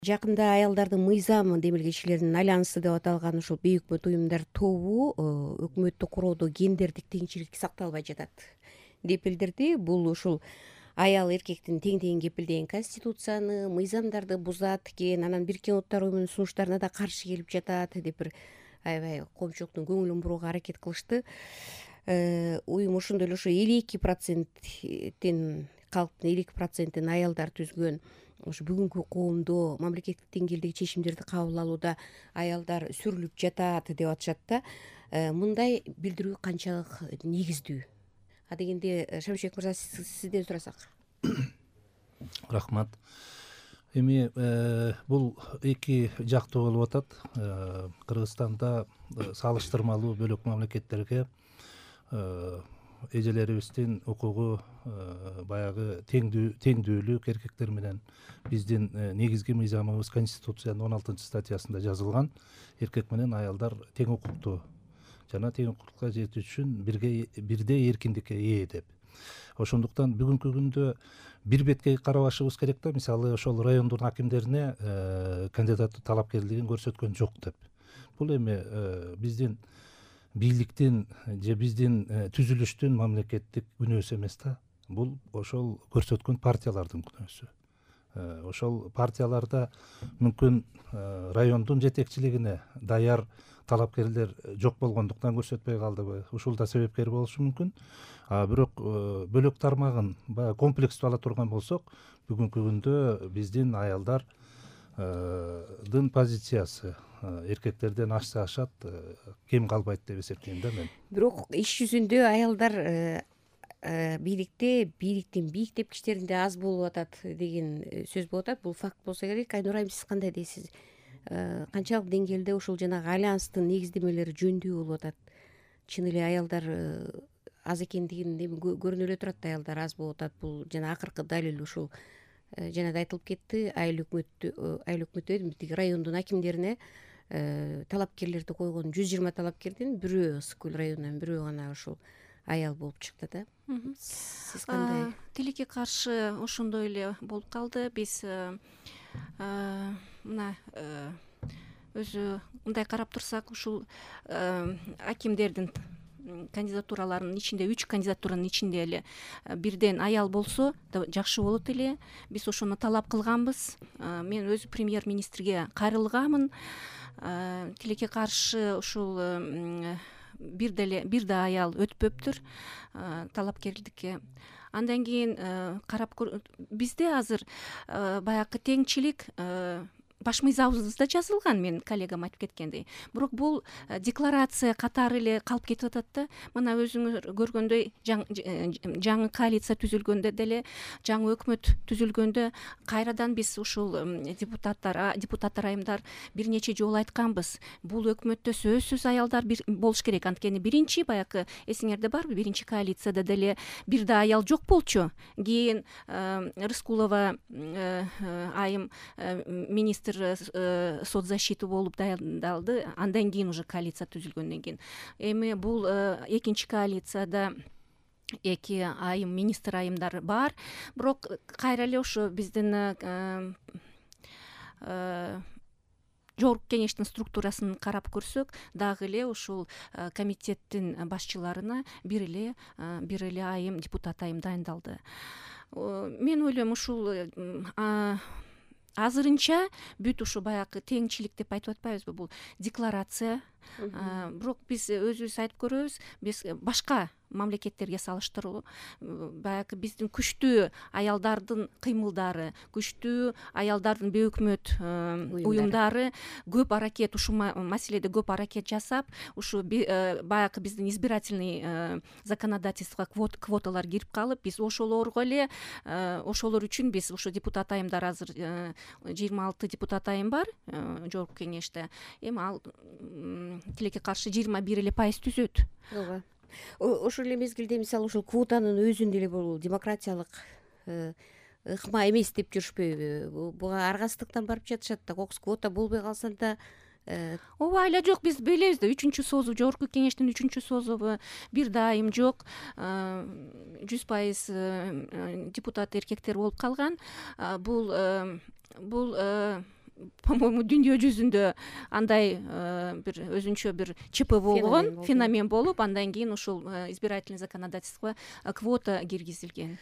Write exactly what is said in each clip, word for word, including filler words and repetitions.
Жакында аялдардын мыйзам демилгечилеринин альянсы деп аталган ушул бейөкмөт уюмдар тобу өкмөттү куроодо гендердик теңчилик сакталбай жатат деп билдирди. Бул ушул аял эркектин тең тең кепилдеген конституцияны, мыйзамдарды бузат экен, анан Бириккен Улуттар уюмунун сунуштарына да каршы келип жатат деп бир аябай коомчулуктун көңүлүн бурууга аракет кылышты. Уюм ошондой эле ошо элүү эки проценттин калктын элүү эки процентин аялдар түзгөн ушу бүгүнкү коомдо мамлекеттик деңгээлдеги чечимдерди кабыл алууда аялдар сүрүлүп жатат деп атышат да. Мындай билдирүү канчалык негиздүү? А дегенде Шамшыбек мырза, сизден сурасак. Рахмат. Эми бул эки жактуу болуп атат. Кыргызстанда салыштырмалуу бөлөк мамлекеттерге эжелерибиздин укугу баягы теңдүүлүк эркектер менен биздин негизги мыйзамыбыз Конституциянын он алтынчы статьясында жазылган. Эркек менен аялдар тең укуктуу жана тең укукка жетүү үчүн бирге бирдей эркиндикке ээ деп. Ошондуктан бүгүнкү күндө бир беткей карабашыбыз керек да. Мисалы ошол райондун акимдерине кандидат талапкерлигин көрсөткөн жок деп. Бул эми биздин бийликтин же биздин түзүлүштүн мамлекеттик күнөөсү эмес да. Бул ошол көрсөткөн партиялардын күнөөсү. Ошол партияларда мүмкүн райондун жетекчилигине даяр талапкерлер жок болгондуктан көрсөтпөй калдыбы, ушул да себепкер болушу мүмкүн. А бирок бөлөк тармагын баягы комплекстүү ала турган болсок, бүгүнкү күндө биздин аялдардын позициясы эркектерден ашса ашат, кем калбайт деп эсептейм да мен. Бирок иш жүзүндө аялдар бийликте бийликтин бийик тепкичтеринде аз болуп атат деген сөз болуп атат. Бул факт болсо керек. Айнура айым, сиз кандай дейсиз? Канчалык деңгээлде ушул жанагы альянстын негиздемелери жөндүү болуп атат? Чын эле аялдар аз экендигин көрүнүп эле турат да, аялдар аз болуп атат. Бул жана акыркы далил ушул жана да айтылып кетти. Айыл өкмөттү айыл өкмөттү тиги райондун акимдерине талапкерлерди койгон жүз жыйырма талапкердин бирөө Ысык көл районунан бирөө гана ушул аял болуп чыкты да. Сиз кандай? Тилекке каршы ошондой эле болуп калды. Биз мына өзү мындай карап турсак, ушул акимдердин кандидатураларынын ичинде, үч кандидатуранын ичинде эле бирден аял болсо жакшы болот эле. Биз ошону талап кылганбыз. Мен өзү премьер-министрге кайрылганмын. Тилекке каршы ушул бир деле бир да аял өтпөптүр талапкерликке. Андан кийин карап бизде азыр баягы теңчилик баш мыйзамыбызда жазылган, мен коллегам айтып кеткендей. Бирок бул декларация катары эле калып кетип атат да. Мына өзүңөр көргөндөй, жаңы коалиция түзүлгөндө деле, жаңы өкмөт түзүлгөндө кайрадан биз ушул депутаттар депутаттар айымдар бир нече жолу айтканбыз. Бул өкмөттө сөзсүз аялдар болуш керек. Анткени биринчи баягы эсиңерде барбы, биринчи коалицияда деле бир да аял жок болчу. Кийин Рыскулова айым министр соцзащиты болуп даярдалды. Андан кийин уже коалиция түзүлгөндөн кийин. Эми бул экинчи коалицияда эки айым министр айымдар бар. Бирок кайра эле ошо биздин жогорку кеңештин структурасын карап көрсөк, дагы эле ушул комитеттин башчыларына бир эле бир эле айым депутат айым дайындалды. Мен ойлойм, ушул азырынча бүт ушу баягы теңчилик деп айтып атпайбызбы, бул декларация. Бирок биз өзүбүз айтып көрөбүз, биз башка мамлекеттерге салыштыруу баягы биздин күчтүү аялдардын кыймылдары, күчтүү аялдардын бейөкмөт уюмдары көп аракет, ушул маселеде көп аракет жасап, ушу баягы биздин избирательный законодательствого квоталар кирип калып, биз ошолорго эле ошолор үчүн биз ушу депутат айымдар азыр жыйырма алты депутат айым бар жогорку кеңеште. Эми ал тилекке каршы жыйырма бир эле пайыз түзөт. Ооба. Ошол эле мезгилде мисалы ушул квотанын өзүн деле бул демократиялык ыкма эмес деп жүрүшпөйбү? Буга аргасыздыктан барып жатышат да. Кокус квота болбой калса да ооба, айла жок, биз билебиз да, үчүнчү созу, жогорку кеңештин үчүнчү созубу бир да айым жок, жүз пайыз депутат эркектер болуп калган. Бул бул по-моему дүйнө жүзүндө андай бир өзүнчө бир ЧП болгон, феномен болуп, андан кийин ушул избирательный законодательство квота киргизилген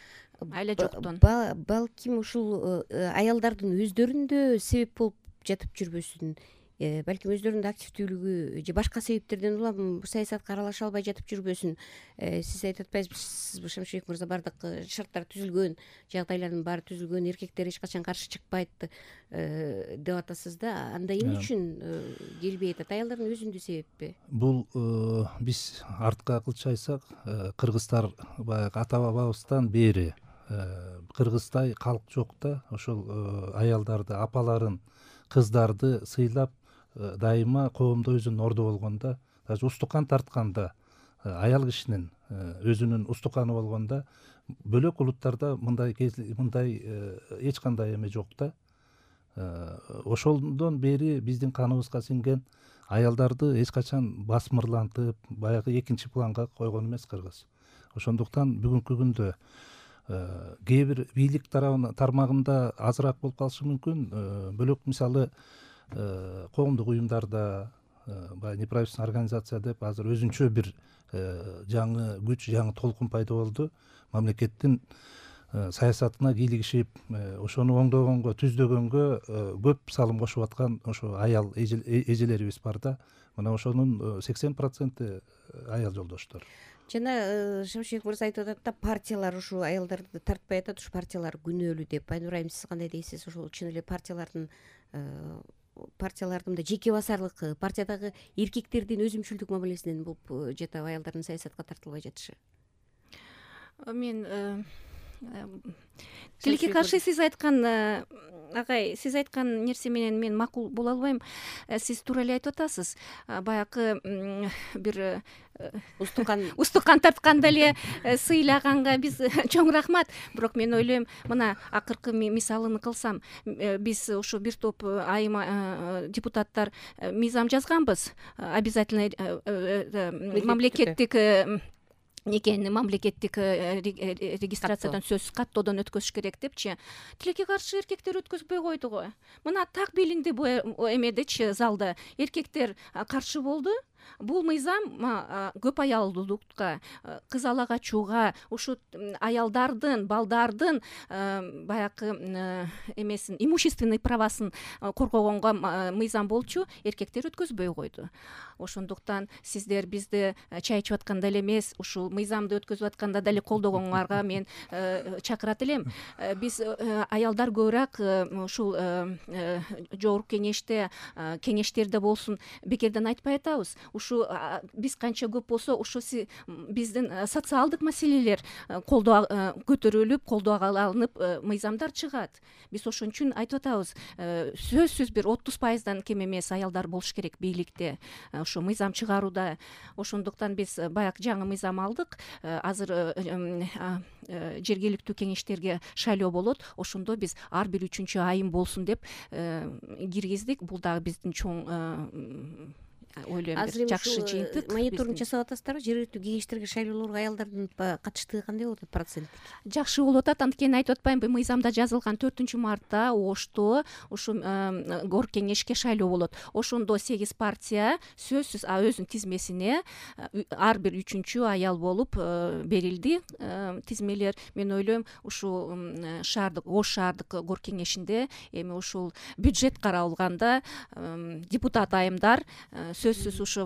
айла жоктон. Балким ушул аялдардын өздөрүндө себеп болуп жатып жүрбөсүн, балким өздөрүнүн активдүүлүгү же башка себептерден улам саясатка аралаша албай жатып жүрбөсүн. Сиз айтып атпайсызбы, Шамшыбек мырза, баардык шарттар түзүлгөн, жагдайлардын баары түзүлгөн, эркектер эч качан каршы чыкпайт деп атасыз да. Анда эмне үчүн келбей атат? Аялдардын өзүндө себеппи? Бул биз артка кылчу айтсак, кыргыздар баягы ата бабабыздан бери кыргыздай калк жок да. Ошол аялдарды, апаларын, кыздарды сыйлап дайыма коомдо өзүнүн орду болгондо, даже устукан тартканда, аял кишинин өзүнүн устуканы болгондо, бөлөк улуттарда мындай мындай эч кандай эме жок да. Ошондон бери биздин каныбызга сиңген аялдарды эч качан басмырлантып, баягы экинчи планга койгон эмес кыргыз. Ошондуктан бүгүнкү күндө кээ бир бийлик тармагында азыраак болуп калышы мүмкүн. Бөлөк мисалы коомдук уюмдарда, баягы неправительственный организация деп азыр өзүнчө бир жаңы күч, жаңы толкун пайда болду. Мамлекеттин саясатына кийлигишип, ошону оңдогонго, түздөгөнгө көп салым кошуп аткан ошо аял эжелерибиз бар да. Мына ошонун сексен проценти аял жолдоштор. Жана Шамшыбек мырза айтып атат да, партиялар ушу аялдарды тартпай атат, ушу партиялар күнөөлүү деп. Айнура айым, сиз кандай дейсиз? Ошол чын эле партиялардын партиялардын да жеке басарлык, партиядагы эркектердин өзүмчүлдүк мамилесинен болуп жатабы аялдардын саясатка тартылбай жатышы? Мен тилекке каршы сиз айткан агай, сиз айткан нерсе менен мен макул боло албайм. Сиз туура эле айтып атасыз. Баягы бир устукан устукан тартканда эле сыйлаганга биз чоң рахмат. Бирок мен ойлойм, мына акыркы мисалын кылсам, биз ушу бир топ айым депутаттар мыйзам жазганбыз. Обязательно мамлекеттик некени мамлекеттик регистрациядан сөзсүз каттоодон өткөзүш керек депчи. Тилекке каршы эркектер өткөзбөй койду го. Мына так билинди бу эмедечи, залда эркектер каршы болду. Бул мыйзам көп аялдуулукка, кыз ала качууга, ушу аялдардын, балдардын баягы эмесин, имущественный правасын коргогонго мыйзам болчу, эркектер өткөзбөй койду. Ошондуктан сиздер бизди чай ичип атканда эле эмес, ушул мыйзамды өткөзүп атканда деле колдогоңорго мен чакырат элем. Биз аялдар көбүрөөк ушул жогорку кеңеште, кеңештерде болсун, бекерден айтпай атабыз. Ушу биз канча көп болсо, ушу биздин социалдык маселелер колдоо көтөрүлүп, колдоого алынып, мыйзамдар чыгат. Биз ошон үчүн айтып атабыз, сөзсүз бир отуз пайыздан кем эмес аялдар болуш керек бийликте, ушу мыйзам чыгарууда. Ошондуктан биз баягы жаңы мыйзам алдык. Азыр жергиликтүү кеңештерге шайлоо болот. Ошондо биз ар бир үчүнчү айым болсун деп киргиздик. Бул дагы биздин чоң ойлойм, жакшы жыйынтык. Мониторинг жасап атасыздарбы? Жергиликтүү кеңештерге шайлоолорго аялдардын катыштыгы кандай болуп атат проценттик? Жакшы болуп атат. Анткени айтып атпаймынбы, мыйзамда жазылган төртүнчү мартта Ошто ушу горк кеңешке шайлоо болот. Ошондо сегиз партия сөзсүз өзүнүн тизмесине ар бир үчүнчү аял болуп берилди. Тизмелер, мен ойлойм, ушул шаардык, Ош шаардык горк кеңешинде эми ушул бюджет каралганда депутат айымдар сөзсүз ушу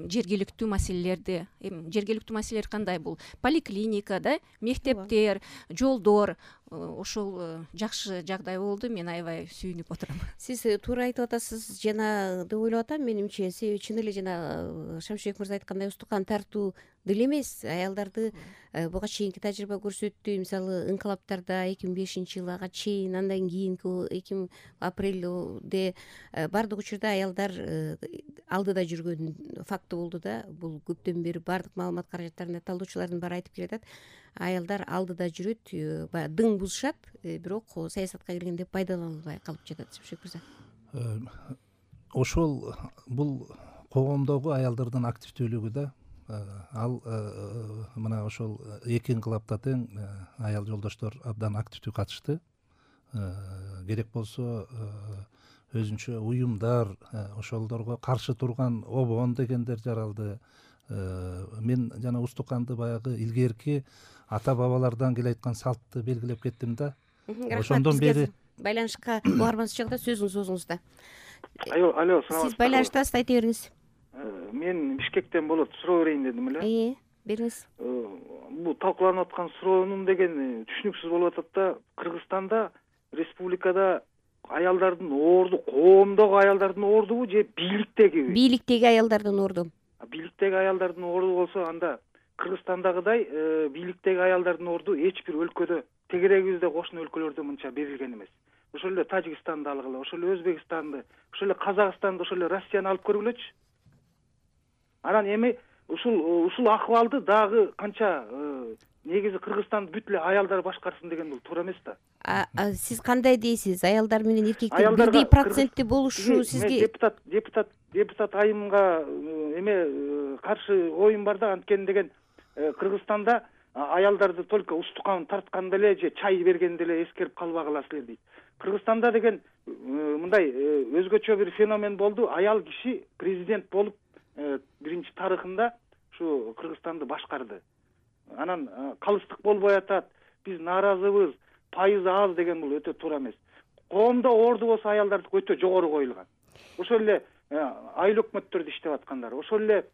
жергиликтүү маселелерди, эми жергиликтүү маселелер кандай? Бул поликлиника да, мектептер, жолдор, ошол жакшы жагдай болду. Мен аябай сүйүнүп отурам. Сиз туура айтып атасыз жана деп ойлоп атам менимче. Себеби чын эле жана Шамшыбек мырза айткандай устукан тартуу деле эмес. Аялдарды буга чейинки тажрыйба көрсөттү. Мисалы, инкылаптарда эки миң бешинчи жылга чейин, андан кийинки эки миң апрелде баардык учурда аялдар алдыда жүргөн факты болду да. Бул көптөн бери баардык маалымат каражаттарында талдоочулардын баары айтып келатат. Аялдар алдыда жүрөт, баягы дың бузушат, бирок саясатка киргенде пайдалана албай калып жатат. Шамшыбек мырза. Ошол бул коомдогу аялдардын активдүүлүгү да. Ал мына ошол эки инкылапта тең аял жолдоштор абдан активдүү катышты. Керек болсо өзүнчө уюмдар, ошолдорго каршы турган обон дегендер жаралды. Мен жана Устуканды баягы илгерки ата бабалардан келе айткан салтты белгилеп кеттим да. Ошондон бери байланышка угарманыз чыкты, сөзүңүз өзүңүз да. Алло, алло, Сиз байланыштасыз, айта бериңиз. Мен Бишкектен болот, суроо берейин дедим эле. Э, бериңиз. Бул талкууланып аткан суроонун деген түшүнүксүз болуп атат да. Кыргызстанда, республикада аялдардын оорду, коомдогу аялдардын оордубу же бийликтегиби? Бийликтеги аялдардын оорду. Бийликтеги аялдардын оорду болсо, анда Кыргызстандагыдай бийликтеги аялдардын оорду эч бир өлкөдө, тегерегибизде кошуна өлкөлөрдө мынча берилген эмес. Ошол эле Тажикстанды алгыла, ошол эле Өзбекстанды, ошол эле Казакстанды, ошол эле Россияны алып көргүлөчү. Анан эми ушул ушул акыбалды дагы канча негизи Кыргызстанды бүт эле аялдар башкарсын деген бул туура эмес да. Сиз кандай дейсиз? Аялдар менен эркектер бирдей процентте болушу сизге? Депутат, депутат, депутат айымга эме каршы оюм бар да, анткени деген Кыргызстанда аялдарды только устукан тартканда эле же чай бергенде эле эскерип калбагыла силер дейт. Кыргызстанда деген мындай өзгөчө бир феномен болду. Аял киши президент болуп биринчи тарыхында ушу Кыргызстанды башкарды. Анан калыстык болбой атат, биз нааразыбыз, пайызы аз деген бул өтө туура эмес. Коомдо оорду болсо аялдардыкы өтө жогору коюлган. Ошол эле айыл өкмөттөрдө иштеп аткандар, ошол эле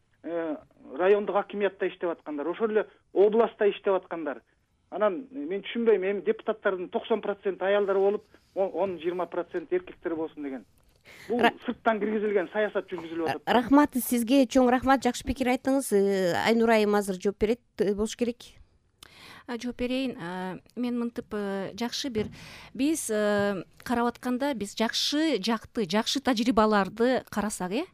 райондук акимиятта иштеп аткандар, ошол эле областта иштеп аткандар. Анан мен түшүнбөйм, эми депутаттардын токсон проценти аялдар болуп, он жыйырма процент эркектер болсун деген. Бул сырттан киргизилген саясат жүргүзүлүп атат. Рахмат сизге, чоң рахмат, жакшы пикир айттыңыз. Айнура айым азыр жооп берет болуш керек. Жооп берейин. Мен мынтип жакшы бир биз карап атканда биз жакшы жакты, жакшы тажрыйбаларды карасак, э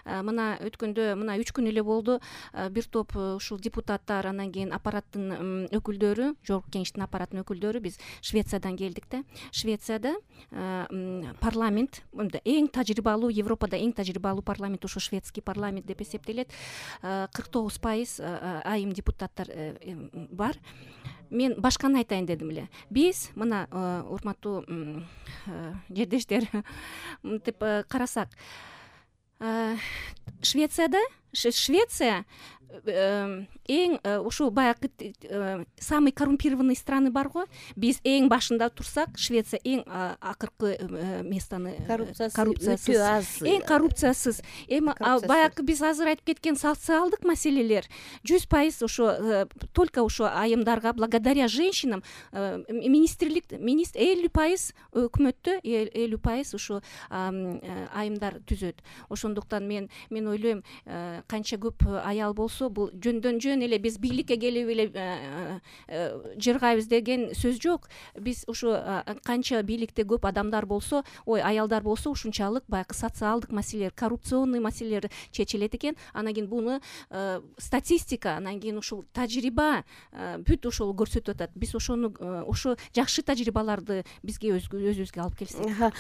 мына өткөндө мына үч күн эле болду, бир топ ушул депутаттар, анан кийин аппараттын өкүлдөрү, жогорку кеңештин аппараттын өкүлдөрү биз Швециядан келдик да. Швецияда парламент, эң тажрыйбалуу, Европада эң тажрыйбалуу парламент ушу шведский парламент деп эсептелет. кырк тогуз пайыз айым депутаттар бар. Мен башканы айтайын дедим эле. Биз мына урматтуу жердештер, мынтип карасак, Швецияда Швеция эң ушу баягы самый коррумпированный страны бар го. Биз эң башында турсак, Швеция эң акыркы местаны коррупциясыз, аз, эң коррупциясыз. Эми баягы биз азыр айтып кеткен социалдык маселелер жүз пайыз ушу только ушу айымдарга, благодаря женщинам, министрлик министр элүү пайыз өкмөттө элүү пайыз ушу айымдар түзөт. Ошондуктан мен мен ойлойм, канча көп аял болсо, бул жөндөн жөн эле биз бийликке келип эле жыргайбыз деген сөз жок. Биз ушу канча бийликте көп адамдар болсо, ой, аялдар болсо, ушунчалык баягы социалдык маселелер, коррупционный маселелер чечилет экен. Анан кийин буну статистика, анан кийин ушул тажрыйба бүт ошол көрсөтүп атат. Биз ошону ошо жакшы тажрыйбаларды бизге өзүбүзгө алып келсек.